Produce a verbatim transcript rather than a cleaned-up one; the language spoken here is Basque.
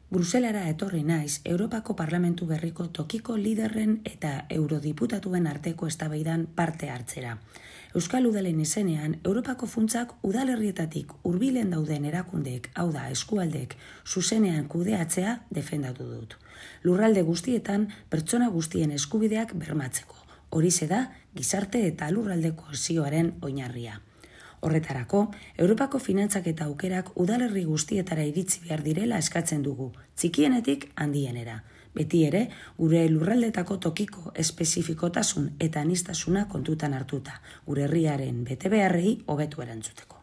Bruselara etorri naiz Europako Parlamentu berriko tokiko liderren eta eurodiputatuen arteko eztabaidan parte hartzera. Euskal Udalen izenean, Europako funtsak udalerrietatik hurbilen dauden erakundeek, hau da eskualdek, zuzenean kudeatzea defendatu dut. Lurralde guztietan pertsona guztien eskubideak bermatzeko. Horixe da gizarte eta lurralde kohesioaren oinarria. Horretarako, Europako finantzak eta aukerak udalerri guztietara iritsi behar direla eskatzen dugu, txikienetik handienera. Beti ere, gure lurraldetako tokiko espezifikotasun eta aniztasuna kontutan hartuta, gure herriaren betebeharrei hobetu erantzuteko.